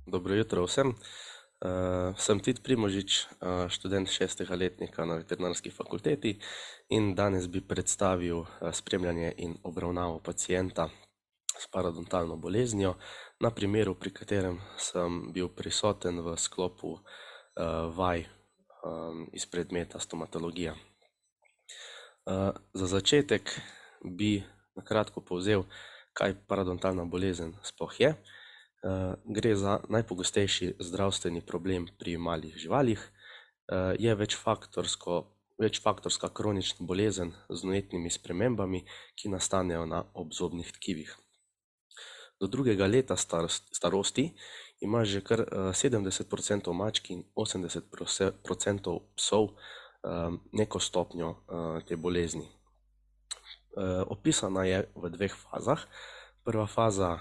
Dobro jutro vsem. Sem Tit Primožič, študent 6. letnika na veterinarski fakulteti in danes bi predstavil spremljanje in obravnavo pacienta s parodontalno boleznijo na primeru, pri katerem sem bil prisoten v sklopu vaj iz predmeta stomatologija. Za začetek bi na kratko povzel, kaj parodontalna bolezen sploh je. Gre za najpogostejši zdravstveni problem pri malih živalih. Je večfaktorska kronična bolezen z vnetnimi spremembami, ki nastanejo na obzobnih tkivih. Do 2. leta starosti ima že kar 70% mačk in 80% psov neko stopnjo te bolezni. Opisana je v 2 fazah. Prva faza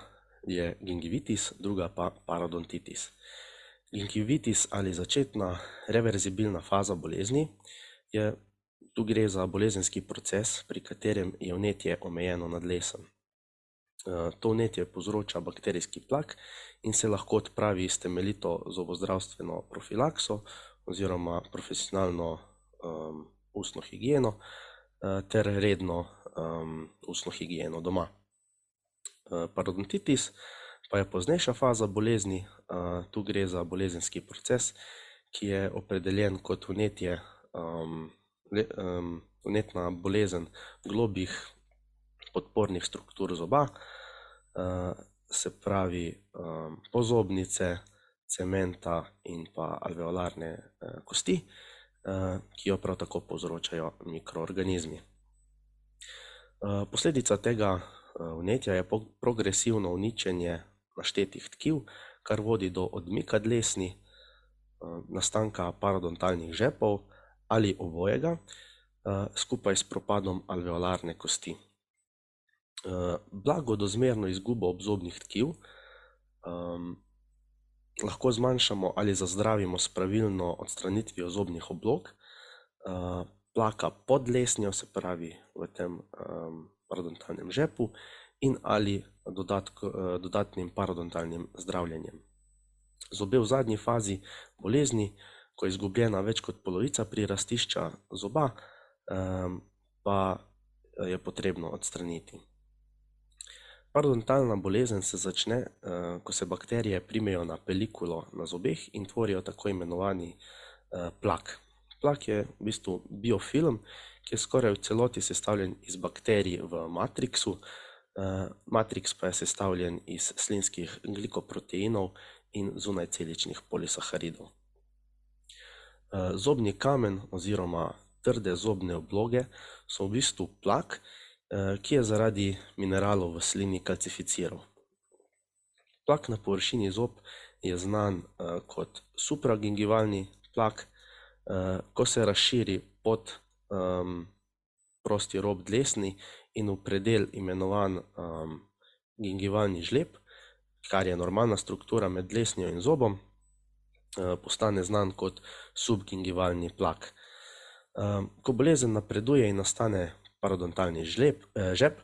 je gingivitis, druga pa parodontitis. Gingivitis ali začetna reverzibilna faza bolezni tu gre za bolezenski proces, pri katerem je vnetje omejeno na dlesni. To vnetje povzroča bakterijski plak in se lahko odpravi s temeljito zobozdravstveno profilakso oziroma profesionalno ustno higieno ter redno ustno higieno doma. Parodontitis pa je poznejša faza bolezni. Tu gre za bolezenski proces, ki je opredeljen kot vnetna bolezen globih podpornih struktur zoba, se pravi pozobnice, cementa in pa alveolarne kosti, ki jo prav tako povzročajo mikroorganizmi. Posledica tega vnetja je progresivno uničenje naštetih tkiv, kar vodi do odmika dlesni, nastanka parodontalnih žepov ali obojega, skupaj s propadom alveolarne kosti. Blago do zmerno izgubo obzobnih tkiv lahko zmanjšamo ali zazdravimo s pravilno odstranitvijo zobnih oblog, plaka pod dlesnjo, se pravi v tem parodontalnem žepu, in ali dodatnim parodontalnim zdravljenjem. Zobe v zadnji fazi bolezni, ko je izgubljena več kot polovica prirastišča zoba, pa je potrebno odstraniti. Parodontalna bolezen se začne, ko se bakterije primejo na pelikulo na zobeh in tvorijo tako imenovani plak. Plak je v bistvu biofilm, ki je skoraj v celoti sestavljen iz bakterij v matriksu. Matriks pa je sestavljen iz slinskih glikoproteinov in zunajceličnih polisaharidov. Zobni kamen oziroma trde zobne obloge so v bistvu plak, ki je zaradi mineralov v slini kalcificiral. Plak na površini zob je znan kot supragingivalni plak. Ko se razširi pod prosti rob dlesni in v predel imenovan gingivalni žleb, kar je normalna struktura med dlesnjo in zobom, postane znan kot subgingivalni plak. Ko bolezen napreduje in nastane parodontalni žep,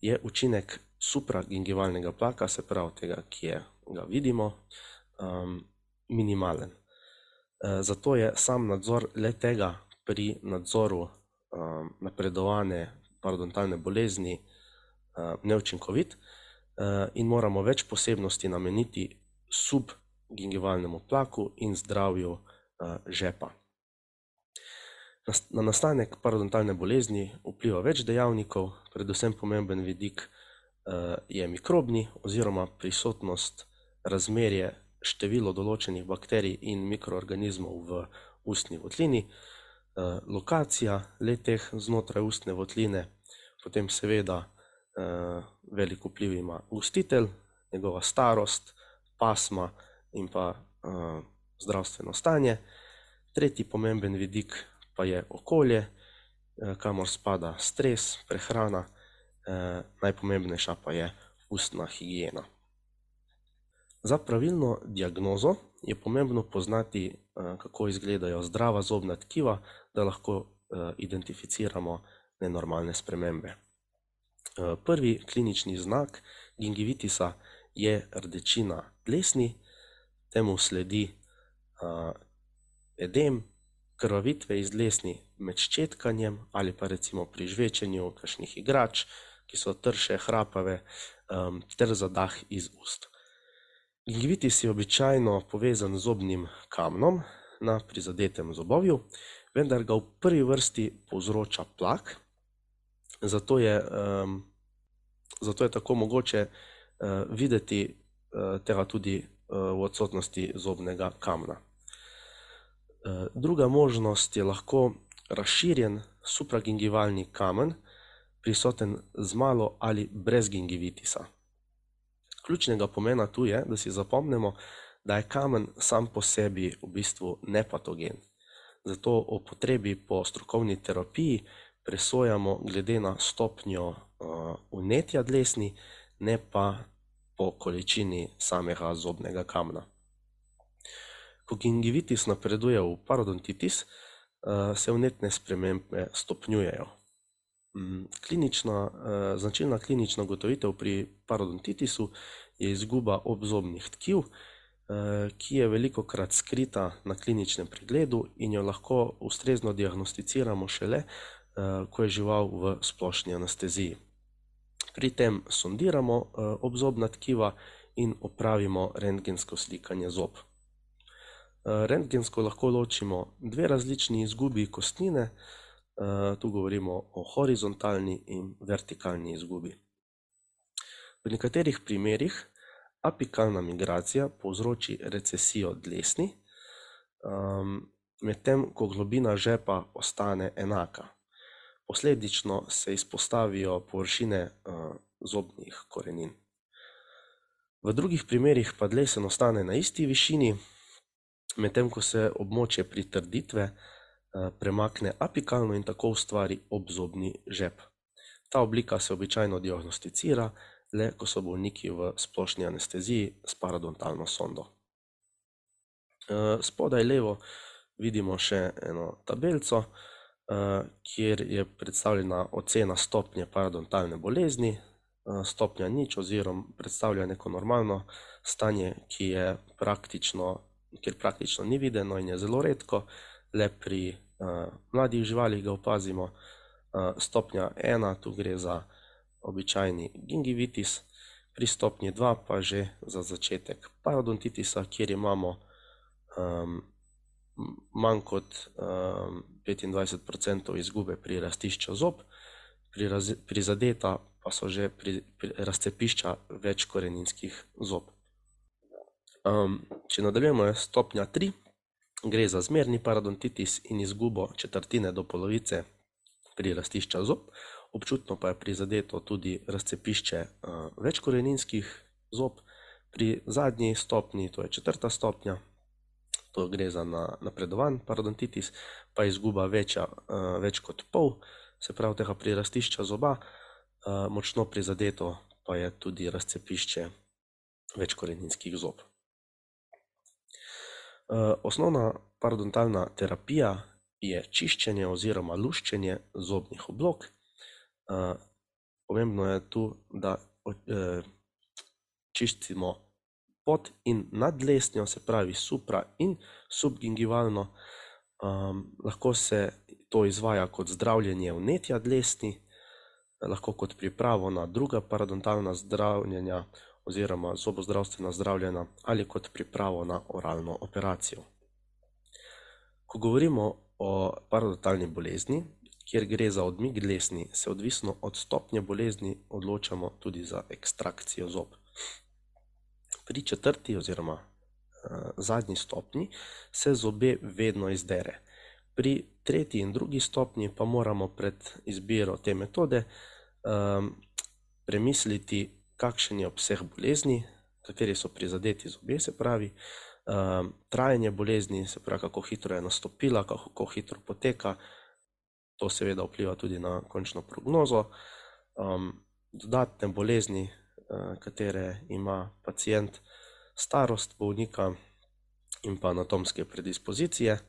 je učinek supragingivalnega plaka, se pravi tega, ki ga vidimo, minimalen. Zato je sam nadzor le-tega pri nadzoru napredovane parodontalne bolezni neučinkovit in moramo več posebnosti nameniti subgingivalnemu plaku in zdravju žepa. Na nastanek parodontalne bolezni vpliva več dejavnikov, predvsem pomemben vidik je mikrobni oziroma prisotnost, razmerje, število določenih bakterij in mikroorganizmov v ustni votlini, lokacija le-teh znotraj ustne votline, potem seveda velik vpliv ima gostitelj, njegova starost, pasma in pa zdravstveno stanje. Tretji pomemben vidik pa je okolje, kamor spada stres, prehrana, najpomembnejša pa je ustna higiena. Za pravilno diagnozo je pomembno poznati, kako izgledajo zdrava zobna tkiva, da lahko identificiramo nenormalne spremembe. Prvi klinični znak gingivitisa je rdečina dlesni, temu sledi edem, krvavitve iz dlesni med ščetkanjem ali pa recimo pri žvečenju kakšnih igrač, ki so trše, hrapave, ter zadah iz ust. Gingivitis je običajno povezan z zobnim kamnom na prizadetem zobovju, vendar ga v prvi vrsti povzroča plak, zato je tako mogoče videti tega tudi v odsotnosti zobnega kamna. Druga možnost je lahko razširjen supragingivalni kamen, prisoten z malo ali brez gingivitisa. Ključnega pomena tu je, da si zapomnimo, da je kamen sam po sebi v bistvu nepatogen. Zato o potrebi po strokovni terapiji presojamo glede na stopnjo vnetja dlesni, ne pa po količini samega zobnega kamna. Ko gingivitis napreduje v parodontitis, se vnetne spremembe stopnjujejo. Značilna klinična ugotovitev pri parodontitisu je izguba obzobnih tkiv, ki je velikokrat skrita na kliničnem pregledu in jo lahko ustrezno diagnosticiramo šele, ko je žival v splošni anesteziji. Pri tem sondiramo obzobna tkiva in opravimo rentgensko slikanje zob. Rentgensko lahko ločimo dve različni izgubi kostnine, tu govorimo o horizontalni in vertikalni izgubi. V nekaterih primerih apikalna migracija povzroči recesijo dlesni, medtem ko globina žepa ostane enaka. Posledično se izpostavijo površine zobnih korenin. V drugih primerih pa dlesen ostane na isti višini, medtem ko se območje pritrditve premakne apikalno in tako ustvari obzobni žep. Ta oblika se običajno diagnosticira le, ko so bolniki v splošni anesteziji s parodontalno sondo. Spodaj levo vidimo še eno tabelico, kjer je predstavljena ocena stopnje parodontalne bolezni. Stopnja 0 oziroma predstavlja neko normalno stanje, kjer praktično ni videno in je zelo redko, le pri mladih živalih ga opazimo. Stopnja 1, tu gre za običajni gingivitis, pri stopnji 2 pa že za začetek parodontitisa, kjer imamo manj kot 25% izgube pri rastišču zob, prizadeta pa so že razcepišča večkoreninskih zob. Če nadaljujemo, je stopnja 3, gre za zmerni parodontitis in izgubo četrtine do polovice pri rastišča zob, občutno pa je prizadeto tudi razcepišče večkoreninskih zob. Pri zadnji stopnji, to je 4. stopnja, to gre za napredovan parodontitis, pa izguba več kot pol, se pravi tega prirastišča zoba, močno prizadeto pa je tudi razcepišče večkoreninskih zob. Osnovna parodontalna terapija je čiščenje oziroma luščenje zobnih oblog. Pomembno je tu, da čistimo pod in nad dlesnjo, se pravi supra in subgingivalno. Lahko se to izvaja kot zdravljenje vnetja dlesni, lahko kot pripravo na druga parodontalna zdravljenja oziroma zobozdravstvena zdravljenja ali kot pripravo na oralno operacijo. Ko govorimo o parodontalni bolezni, kjer gre za odmik dlesni, se odvisno od stopnje bolezni odločamo tudi za ekstrakcijo zob. Pri 4. oziroma zadnji stopnji se zobe vedno izdere. Pri 3. in 2. stopnji pa moramo pred izbiro te metode premisliti, kakšen je obseg bolezni, kateri so prizadeti zobje, se pravi, trajanje bolezni, se pravi, kako hitro je nastopila, kako hitro poteka. To seveda vpliva tudi na končno prognozo. Dodatne bolezni, katere ima pacient, starost bolnika in pa anatomske predispozicije.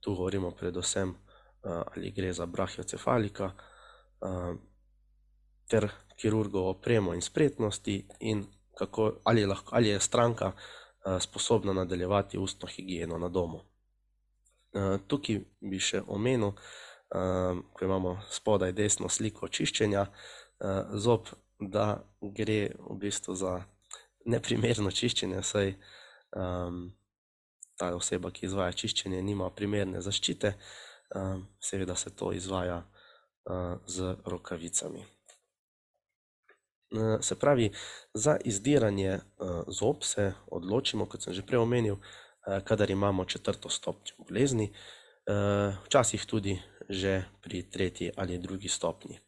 Tu govorimo predvsem, ali gre za brachiocefalika, ter kirurgovo opremo in spretnosti in ali je stranka sposobna nadaljevati ustno higieno na domu. Tukaj bi še omenil, ko imamo spodaj desno sliko čiščenja zob, da gre v bistvu za neprimerno čiščenje, saj ta oseba, ki izvaja čiščenje, nima primerne zaščite. Seveda se to izvaja z rokavicami. Se pravi, za izdiranje zob se odločimo, kot sem že prej omenil, kadar imamo 4. stopnjo bolezni, včasih tudi že pri 3. ali 2. stopnji.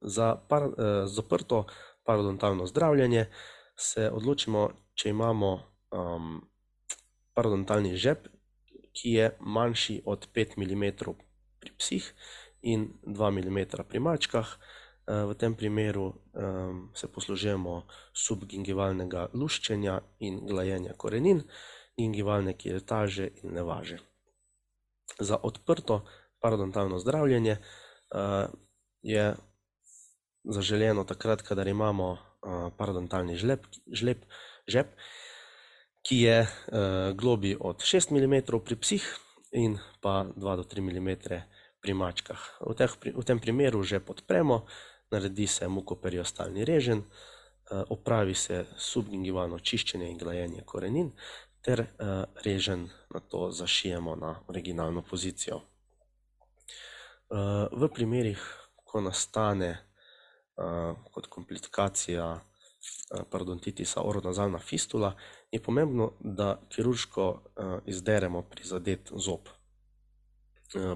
Za zaprto parodontalno zdravljenje se odločimo, če imamo parodontalni žep, ki je manjši od 5 mm pri psih in 2 mm pri mačkah. V tem primeru se poslužujemo subgingivalnega luščenja in glajenja korenin, gingivalne kiretaže in nevaže. Za odprto parodontalno zdravljenje je zaželeno takrat, kadar imamo parodontalni žep, ki je globlji od 6 mm pri psih in pa 2 do 3 mm pri mačkah. V tem primeru žep odpremo, naredi se mukoperiostealni reženj, opravi se subgingivalno čiščenje in glajenje korenin ter reženj nato zašijemo na originalno pozicijo. V primerih, ko nastane kot komplikacija parodontitisa oronazalna fistula, je pomembno, da kirurško izderemo prizadet zob.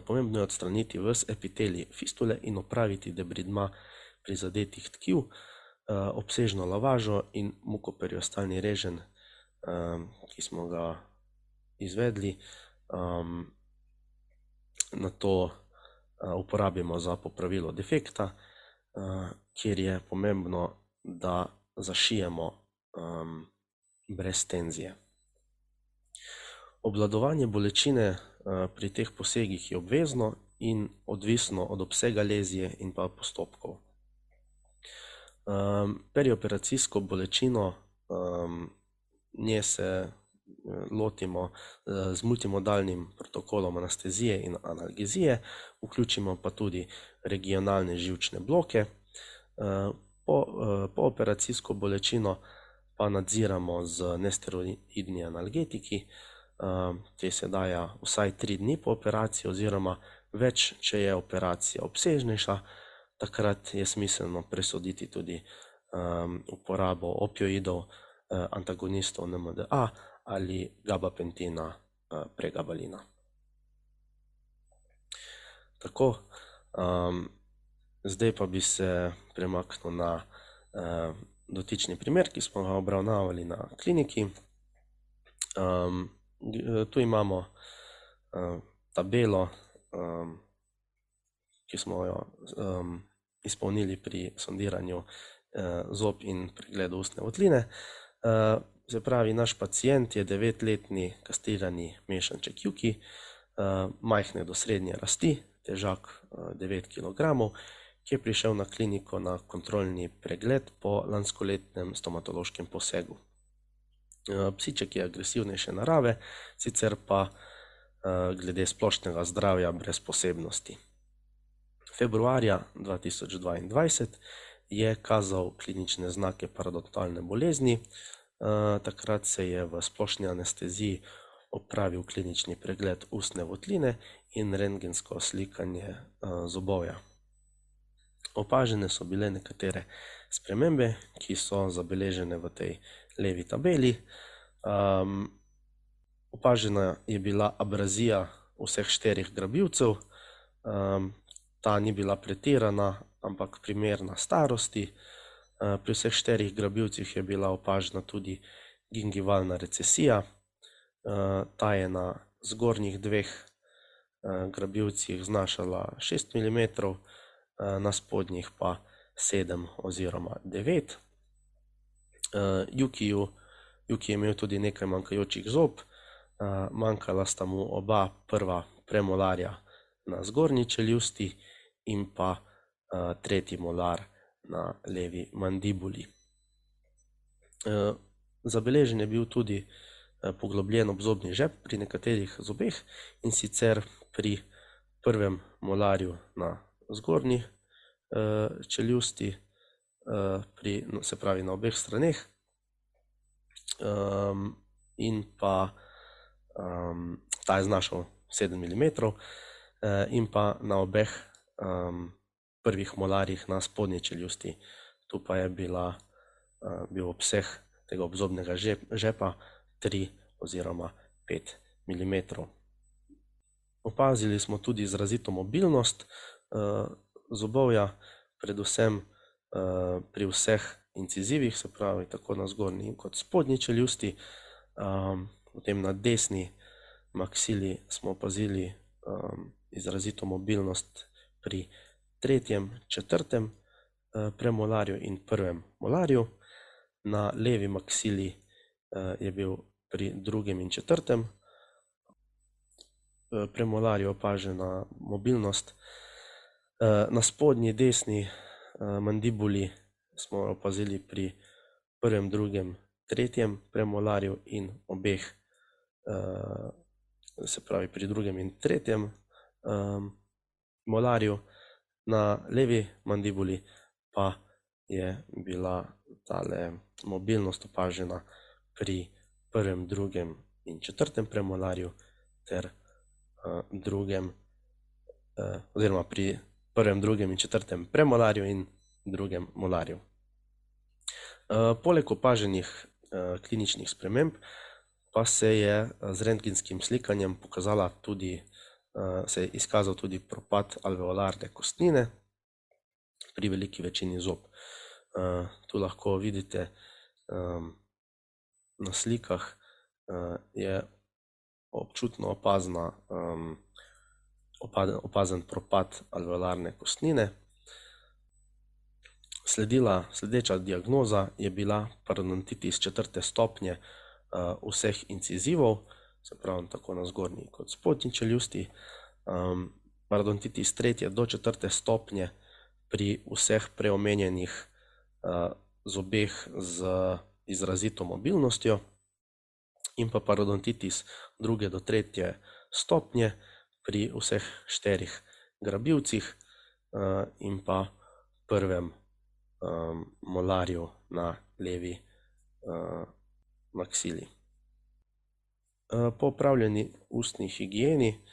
Pomembno je odstraniti ves epitelij fistule in opraviti debridma prizadetih tkiv, obsežno lavažo in mukoperiostealni reženj, ki smo ga izvedli, nato uporabimo za popravilo defekta, kjer je pomembno, da zašijemo brez tenzije. Obvladovanje bolečine pri teh posegih je obvezno in odvisno od obsega lezije in pa postopkov. Perioperacijsko bolečino, nje se lotimo z multimodalnim protokolom anestezije in analgezije, vključimo pa tudi regionalne živčne bloke. Pooperacijsko bolečino pa nadziramo z nesteroidnimi analgetiki. Te se daje vsaj 3 dni po operaciji oziroma več, če je operacija obsežnejša. Takrat je smiselno presoditi tudi uporabo opioidov, antagonistov NMDA ali gabapentina, pregabalina. Tako, zdaj pa bi se premaknil na dotični primer, ki smo ga obravnavali na kliniki. Tu imamo tabelo, ki smo jo izpolnili pri sondiranju zob in pregledu ustne votline. Se pravi, naš pacient je 9-letni kastrirani mešanček Juki, majhne do srednje rasti, težak 9 kg, ki je prišel na kliniko na kontrolni pregled po lanskoletnem stomatološkem posegu. Psiček je agresivnejše narave, sicer pa glede splošnega zdravja brez posebnosti. Februarja 2022 je kazal klinične znake parodontalne bolezni. Takrat se je v splošni anesteziji opravil klinični pregled ustne votline in rentgensko slikanje zobovja. Opažene so bile nekatere spremembe, ki so zabeležene v tej levi tabeli. Opažena je bila abrazija vseh 4 grabilcev. Ta ni bila pretirana, ampak primerna starosti. Pri vseh 4 grabilcih je bila opažena tudi gingivalna recesija. Ta je na zgornjih 2 grabilcih znašala 6 mm, na spodnjih pa 7 oziroma 9. Juki je imel tudi nekaj manjkajočih zob, manjkala sta mu oba prva premolarja na zgornji čeljusti in pa 3. molar na levi mandibuli. Zabeležen je bil tudi poglobljen obzobni žep pri nekaterih zobeh, in sicer pri prvem molarju na zgornji čeljusti, se pravi na obeh straneh, in pa ta je znašal 7 mm, in pa na obeh prvih molarjih na spodnji čeljusti. Tu pa je bil obseg tega obzobnega žepa 3 oziroma 5 mm. Opazili smo tudi izrazito mobilnost zobovja, predvsem pri vseh incizivih, se pravi tako na zgornji kot spodnji čeljusti. Potem na desni maksili smo opazili izrazito mobilnost pri tretjem, četrtem premolarju in prvem molarju. Na levi maksili je bil pri drugem in četrtem premolarju opažena mobilnost. Na spodnji desni mandibuli smo opazili pri prvem, drugem, tretjem premolarju in obeh, se pravi pri drugem in tretjem molarju. Na levi mandibuli pa je bila tale mobilnost opažena pri prvem, drugem in četrtem premolarju ter oziroma pri prvem, drugem in četrtem premolarju in drugem molarju. Poleg opaženih kliničnih sprememb pa se je z rentgenskim slikanjem se je izkazal tudi propad alveolarne kostnine pri veliki večini zob. Tu lahko vidite na slikah je občutno opazen propad alveolarne kostnine. Sledeča diagnoza je bila parodontitis 4. stopnje vseh incizivov, se pravi tako na zgornji kot spodnji čeljusti. Parodontitis 3. do 4. stopnje pri vseh preomenjenih zobeh z izrazito mobilnostjo, in pa parodontitis 2. do 3. stopnje pri vseh 4 grabilcih in pa prvem molarju na levi maksili. Po opravljeni ustni higieni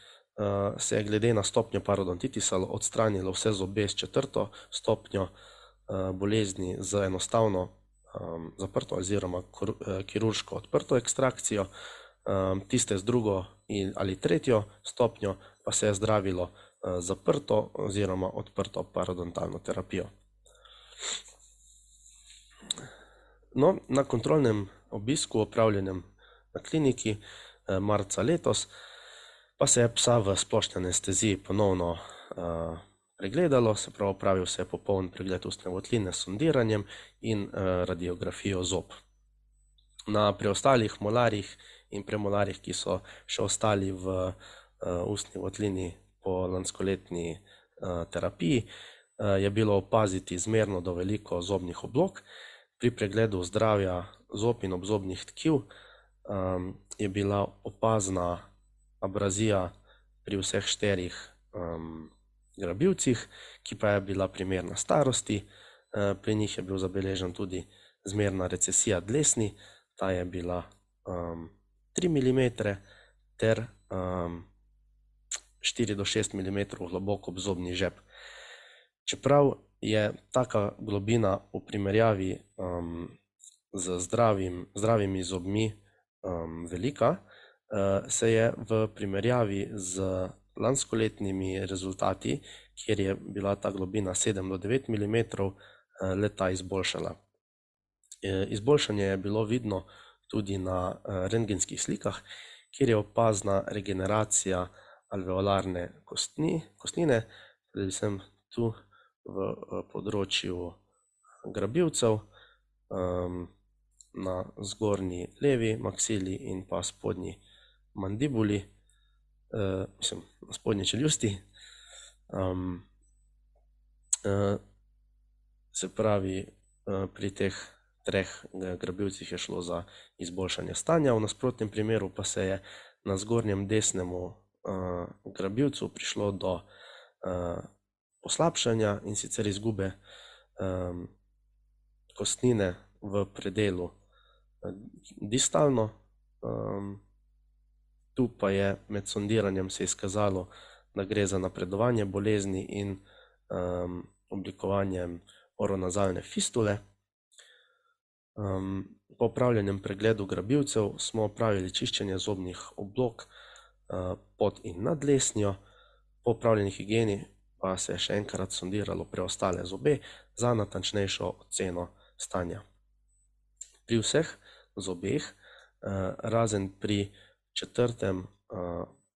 se je glede na stopnjo parodontitisa odstranilo vse zobe s 4. stopnjo bolezni z enostavno zaprto oziroma kirurško odprto ekstrakcijo. Tiste z 2. ali 3. stopnjo pa se je zdravilo zaprto oziroma odprto parodontalno terapijo. No, na kontrolnem obisku, opravljenem na kliniki marca letos, pa se je psa v splošni anesteziji ponovno pregledalo, se pravi opravil se je popoln pregled ustne votline s sondiranjem in radiografijo zob. Na preostalih molarjih in premolarjih, ki so še ostali v ustni votlini po lanskoletni terapiji, je bilo opaziti zmerno do veliko zobnih oblog. Pri pregledu zdravja zob in obzobnih tkiv je bila opazna abrazija pri vseh 4 grabilcih, ki pa je bila primerna starosti. Pri njih je bil zabeležen tudi zmerna recesija dlesni, ta je bila 3 mm ter 4 do 6 mm globok obzobni žep. Čeprav je taka globina v primerjavi z zdravimi zobmi velika, se je v primerjavi z lanskoletnimi rezultati, kjer je bila ta globina 7 do 9 mm, le-ta izboljšala. Izboljšanje je bilo vidno tudi na rentgenskih slikah, kjer je opazna regeneracija alveolarne kostnine, predvsem tu v področju grabilcev, na zgornji levi maksili in pa spodnji mandibuli, na spodnji čeljusti. Se pravi, pri teh treh grabilcih je šlo za izboljšanje stanja, v nasprotnem primeru pa se je na zgornjem desnemu grabilcu prišlo do poslabšanja, in sicer izgube kostnine v predelu distalno. Tu pa je med sondiranjem se izkazalo, da gre za napredovanje bolezni in oblikovanje oronazalne fistule. Po opravljenem pregledu grabilcev smo opravili čiščenje zobnih oblog pod in nad dlesnjo. Po opravljeni higieni pa se je še enkrat sondiralo preostale zobe za natančnejšo oceno stanja. Pri vseh zobeh, razen pri četrtem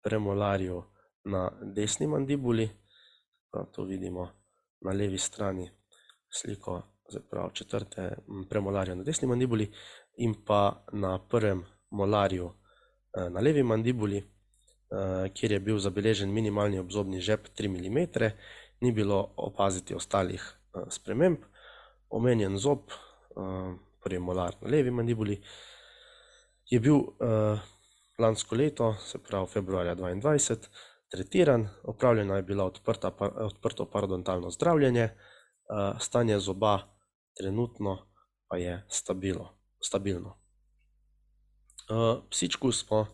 premolarju na desni mandibuli, to vidimo na levi strani sliko, četrte premolarja na desni mandibuli, in pa na prvem molarju na levi mandibuli, kjer je bil zabeležen minimalni obzobni žep 3 mm, ni bilo opaziti ostalih sprememb. Omenjen zob, prvi molar na levi mandibuli, je bil lansko leto, se pravi februarja 2022, tretiran, opravljena je bila odprto parodontalno zdravljenje, stanje zoba trenutno pa je stabilno. Psičku smo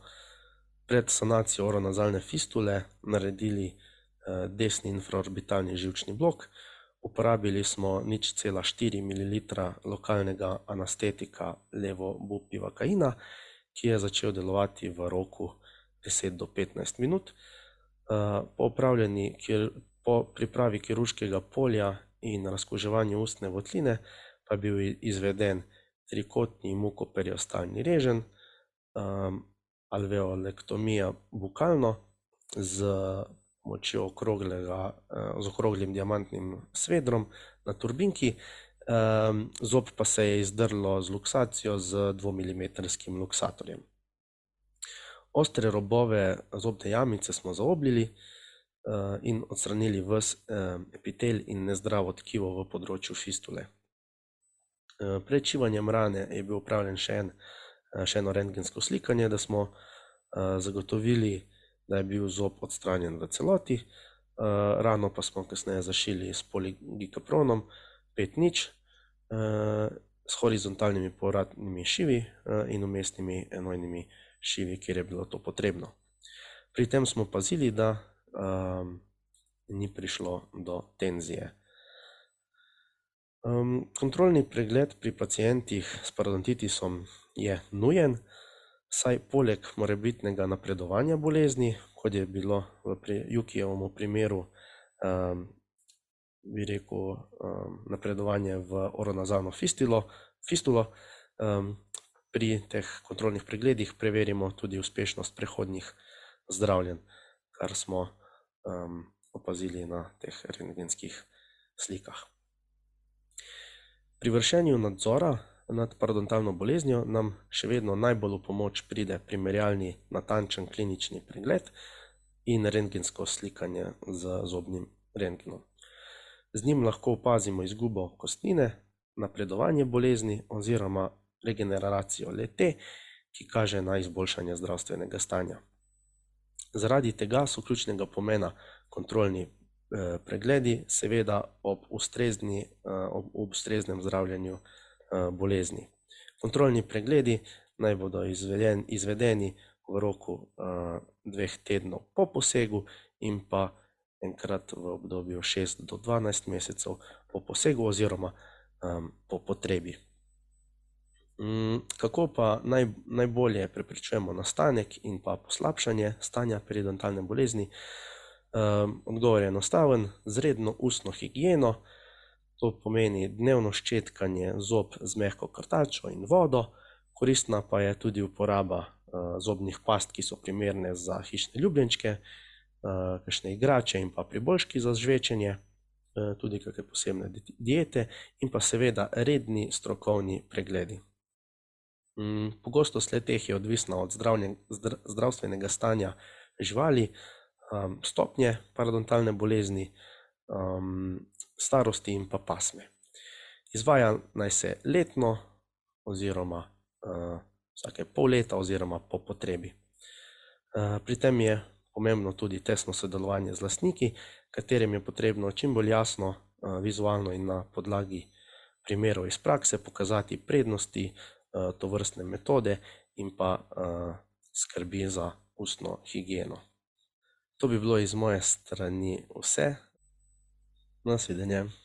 pred sanacijo oronazalne fistule naredili desni infraorbitalni živčni blok. Uporabili smo 0,4 ml lokalnega anestetika levobupivakaina, ki je začel delovati v roku 10 do 15 minut. Po pripravi kirurškega polja in razkuževanju ustne votline pa je bil izveden trikotni mukoperiostalni reženj, alveolektomija bukalno z pomočjo okroglim diamantnim svedrom na turbinki, zob pa se je izdrlo z luksacijo z 2-milimetrskim luksatorjem. Ostre robove zobne jamice smo zaobljili in odstranili ves epitel in nezdravo tkivo v področju fistule. Pred šivanjem rane je bil opravljen še eno rentgensko slikanje, da smo zagotovili, da je bil zob odstranjen v celoti. Rano pa smo kasneje zašili s poligikapronom 5:0 s horizontalnimi povratnimi šivi in vmesnimi enojnimi šivi, kjer je bilo to potrebno. Pri tem smo pazili, da ni prišlo do tenzije. Kontrolni pregled pri pacientih s parodontitisom je nujen, saj poleg morebitnega napredovanja bolezni, kot je bilo v Jukijevem primeru, bi rekel, napredovanje v oronazalno fistulo, pri teh kontrolnih pregledih preverimo tudi uspešnost prehodnih zdravljenj, kar smo opazili na teh rentgenskih slikah. Pri vršenju nadzora nad parodontalno boleznijo nam še vedno najbolj v pomoč pride primerjalni natančen klinični pregled in rentgensko slikanje z zobnim rentgenom. Z njim lahko opazimo izgubo kostnine, napredovanje bolezni oziroma regeneracijo le-te, ki kaže na izboljšanje zdravstvenega stanja. Zaradi tega so ključnega pomena kontrolni pregledi, seveda ob ustreznem zdravljenju bolezni. Kontrolni pregledi naj bodo izvedeni v roku 2 tednov po posegu in pa enkrat v obdobju 6 do 12 mesecev po posegu oziroma po potrebi. Kako pa najbolje preprečujemo nastanek in pa poslabšanje stanja periodontalne bolezni? Odgovor je enostaven: z redno ustno higieno, to pomeni dnevno ščetkanje zob z mehko krtačo in vodo, koristna pa je tudi uporaba zobnih past, ki so primerne za hišne ljubljenčke, kakšne igrače in pa priboljški za žvečenje, tudi kakšne posebne diete in pa seveda redni strokovni pregledi. Pogostost le-teh je odvisna od zdravstvenega stanja živali, stopnje parodontalne bolezni, starosti in pa pasme. Izvaja naj se letno, oziroma vsake pol leta oziroma po potrebi. Pri tem je pomembno tudi tesno sodelovanje z lastniki, katerim je potrebno čim bolj jasno, vizualno in na podlagi primerov iz prakse pokazati prednosti tovrstne metode in pa skrbi za ustno higieno. To bi bilo iz moje strani vse. Nasvidenje.